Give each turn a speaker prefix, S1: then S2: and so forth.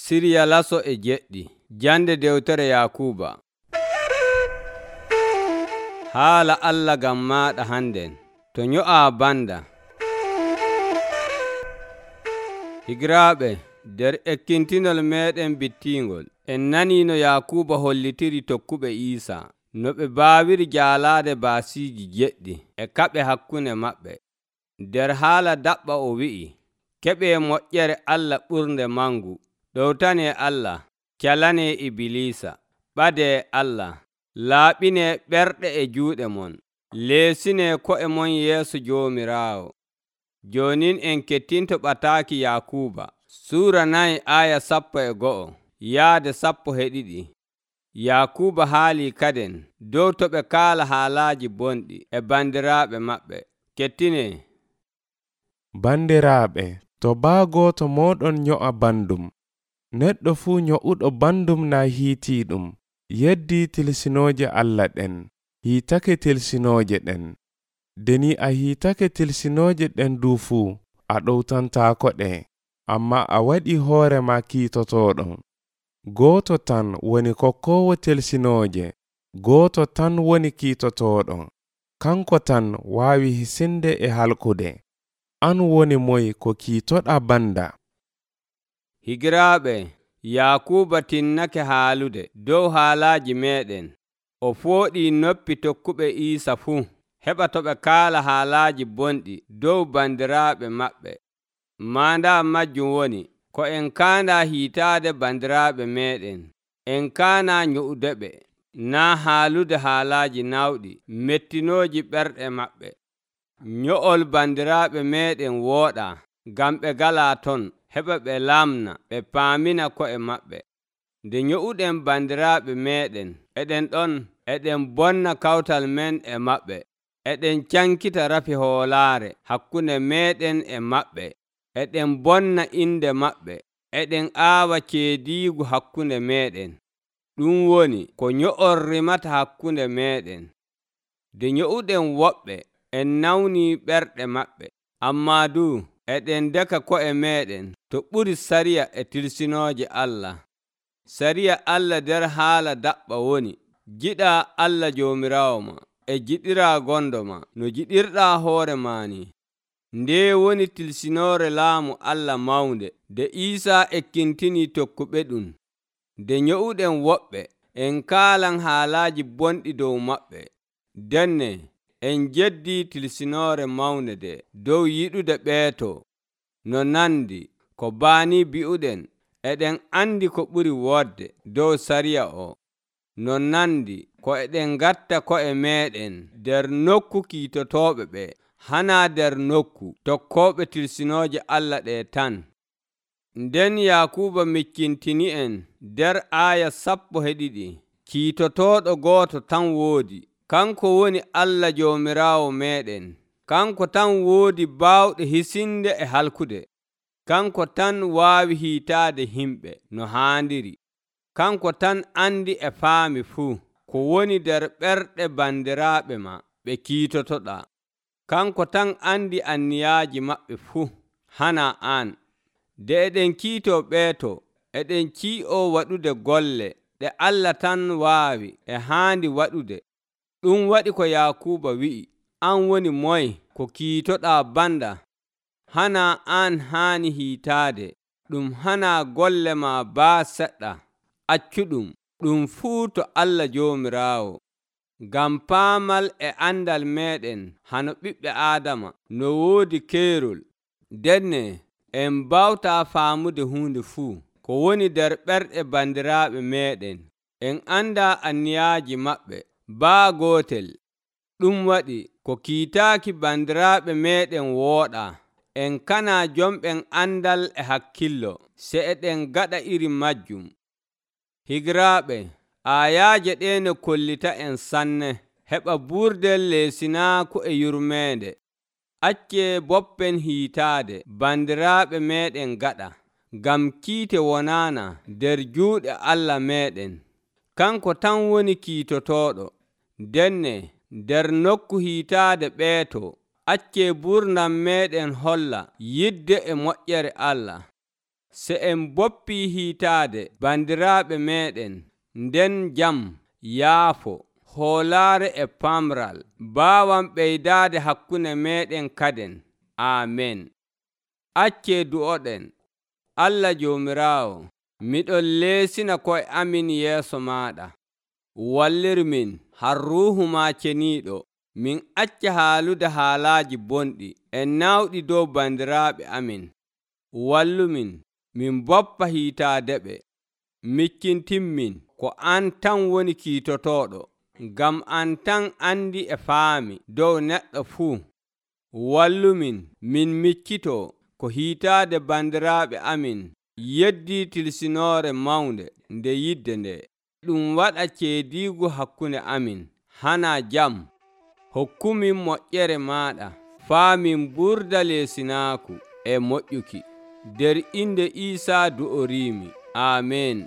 S1: Siriya laso e jeɗɗi. Jande dewtere Yakuuba. Haala Allah gam maaɗa hannden, to nyo'aa banda. Higiraaɓe, nder ekkintinol meeɗen bittiingol, en nanii no Yakuuba hollitiri tokkuɓe Iisaa, no ɓe baawiri jaalaade baasiiji jeɗɗi e kaɓe hakkunde maɓɓe. Nder haala daɓɓa o wi'i, keɓee moƴƴere Allah ɓurnde mangu, ɗowtanee Allah, calanee Ibilisa, ɓadee Allah, laaɓinee ɓerɗe e juuɗe mon, leesinee ko'e mon yeeso Joomiraawo. Joonin en kettinto ɓataaki Yakuuba, Suura 4 aya 11 yaade 12. Yakuuba haalii kaden dow to ɓe kaala haalaaji bonɗi e bandiraaɓe maɓɓe. Kettinee.
S2: Bandiraaɓe, to baa gooto mooɗon nyo'a bandum, neɗɗo fuu nyo'uɗo bandum naa hiitiiɗum, yeddii tilsinooje Allah ɗen, hiitake tilsinooje ɗen. Deni a hiitake tilsinooje ɗen du fuu, a ɗowtantaako ɗe, amma a waɗi hoore ma kiitotooɗo. Gooto tan woni kokkoowo tilsinooje, gooto tan woni kiitotooɗo, kanko tan waawi hisinde e halkude. An woni moy ko kiitoɗa banda?
S1: Higiraaɓe, Yakuuba tinnake haalude dow haalaaji meeɗen. O fooɗii noppi tokkuɓe Iisa fuu, heɓa to ɓe kaala haalaaji bonɗi dow bandiraaɓe maɓɓe. Maandaa majjum woni, ko en kaandaa hiitaade bandiraaɓe meeɗen, en kaanaa nyo'ude ɓe, naa haalude haalaaji nawɗi mettinooji ɓerɗe maɓɓe. Nyo'ol bandiraaɓe meeɗen wooɗaa, ngam ɓe ngalaa ton, heɓa ɓe lamna ɓe paamina ko'e maɓɓe. Nde nyo'uɗen bandiraaɓe meeɗen, eɗen ɗon eɗen bonna kawtal men e maɓɓe, eɗen cankita rafi hoolaare hakkunde meeɗen e maɓɓe, eɗen bonna inde maɓɓe, eɗen aawa ceediigu hakkunde meeɗen. Ɗum woni ko nyo'ol rimata hakkunde meeɗen. Nde nyo'uɗen woɓɓe, en nawnii ɓerɗe maɓɓe, ammaa du eɗen ndeka ko'e meeɗen to ɓuri sariya e tilsinooje Allah. Sariya Allah nder haala daɓɓa woni, jiɗaa Allah Joomiraawo ma e jiɗiraa gondo ma no jiɗirɗaa hoore maa ni. Ndee woni tilsinoore laamu Allah mawnde nde Iisaa ekkintinii tokkuɓe ɗum. Nde nyo'uɗen woɓɓe, en kaalan haalaaji bonɗi dow maɓɓe. Denne en jeddii tilsinoore mawnde nde dow yiɗude ɓeeto. No nandi ko baanii bi'uɗen, eɗen andi ko ɓuri wodde dow sariya o. No nandi ko eɗen ngatta ko'e meeɗen nder nokku kiitotooɓe ɓe, hanaa nder nokku tokkooɓe tilsinooje Allah ɗe tan. Nden Yakuuba miccintini en nder aya 12, kiitotooɗo gooto tan woodi, kanko woni Allah Joomiraawo meeɗen. Kanko tan woodi baawɗe hisinde e halkude. Kanko tan waawi hiitaade himɓe no haandiri. Kanko tan andi e faami fuu ko woni nder ɓerɗe bandiraaɓe ma ɓe kiitotoɗaa. Kanko tan andi anniyaaji maɓɓe fuu, hana aan. Nde eɗen kiitoo ɓeeto, eɗen cii'oo waɗude golle ɗe Allah tan waawi e haandi waɗude. Ɗum waɗi ko Yakuuba wi'i, an woni moy ko kiitoɗaa banda? Hana aan haani hiitaade, ɗum hana golle ma baa seɗɗa. Accuɗum, ɗum fuu to Allah Joomiraawo. Ngam paamal e andal meeɗen hano ɓiɓɓe Aadama no woodi keerol, denne en mbawtaa faamude huunde fuu ko woni nder ɓerɗe bandiraaɓe meeɗen. En andaa anniyaaji maɓɓe baa gootel. Ɗum waɗi ko kiitaaki bandiraaɓe meeɗen wooɗaa. En kanaa jomɓen andal e hakkillo se eɗen gaɗa iri majjum. Higiraaɓe, aayaaje ɗee no kollita en sanne, heɓa buurdel leesinaaku e yurmeende. Accee boppen hiitaade bandiraaɓe meeɗen gaɗa, ngam kiite wonaana nder juuɗe Allah meeɗen. Kanko tan woni kiitotooɗo. Denne nder nokku hiitaade ɓeeto, accee buurdam meeɗen holla yidde e moƴƴere Allah. Se en boppii hiitaade bandiraaɓe meeɗen, nden jam, yaafo, hoolaare e pamral baawan ɓeydaade hakkunde meeɗen kaden. Aamen. Accee du'oɗen. Allah Joomiraawo, miɗon leesina ko'e amin yeeso maaɗa. Wallirmin har Ruuhu maa ceniiɗo, min acca haalude haalaaji bonɗi e nawɗi dow bandiraaɓe amin. Wallumin min boppa hiitaadeɓe. Miccintinmin ko an tan woni kiitotooɗo, ngam an tan andi e faami dow neɗɗo fuu. Wallumin min miccitoo ko hiitaade bandiraaɓe amin yeddii tilsinoore mawnde nde yidde nde. Ɗum waɗa ceediigu hakkunde amin hana jam. Hokkumin moƴƴere maaɗa faa min ɓurda leesinaaku e moƴƴuki. Der inde Iisaa du'oriimi. Aamen.